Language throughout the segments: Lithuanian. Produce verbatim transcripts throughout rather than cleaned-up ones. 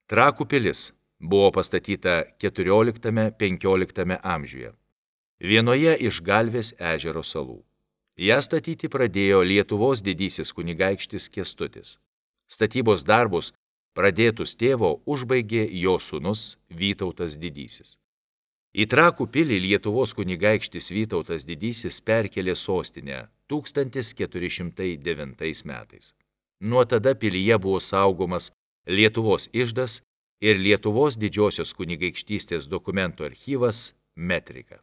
Trakų pilis buvo pastatyta keturioliktame-penkioliktame amžiuje, vienoje iš Galvės ežero salų. Ją statyti pradėjo Lietuvos didysis kunigaikštis Kęstutis. Statybos darbus pradėtus tėvo užbaigė jo sūnus Vytautas didysis. Į Trakų pilį Lietuvos kunigaikštis Vytautas didysis perkelė sostinę tūkstantis keturi šimtai devintais metais. Nuo tada pilyje buvo saugomas Lietuvos iždas ir Lietuvos didžiosios kunigaikštystės dokumentų archyvas Metrika.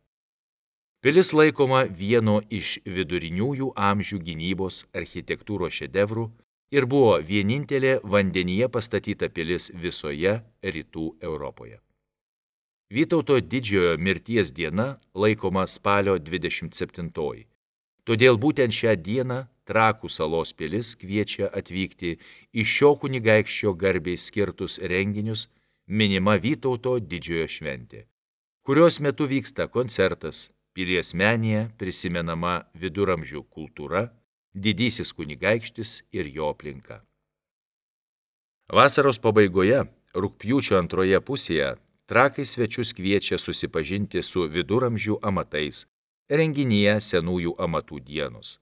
Pilis laikoma vieno iš viduriniųjų amžių gynybos architektūros šedevrų ir buvo vienintelė vandenyje pastatyta pilis visoje rytų Europoje. Vytauto didžiojo mirties diena laikoma spalio dvidešimt septintoji. Todėl būtent šią dieną Trakų salos pilis kviečia atvykti į šio kunigaikščio garbei skirtus renginius minima Vytauto didžiojo šventė, kurios metu vyksta koncertas, pilies menėje prisimenama viduramžių kultūra, didysis kunigaikštis ir jo aplinka. Vasaros pabaigoje, rugpjūčio antroje pusėje, Trakai svečius kviečia susipažinti su viduramžių amatais, renginyje senųjų amatų dienos.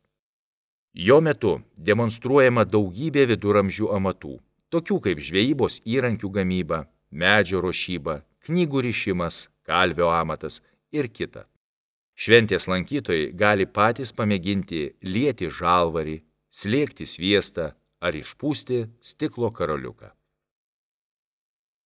Jo metu demonstruojama daugybė viduramžių amatų, tokių kaip žvejybos įrankių gamyba, medžio ruošyba, knygų rišimas, kalvio amatas ir kita. Šventės lankytojai gali patys pamėginti lieti žalvarį, slėgti sviestą ar išpūsti stiklo karoliuką.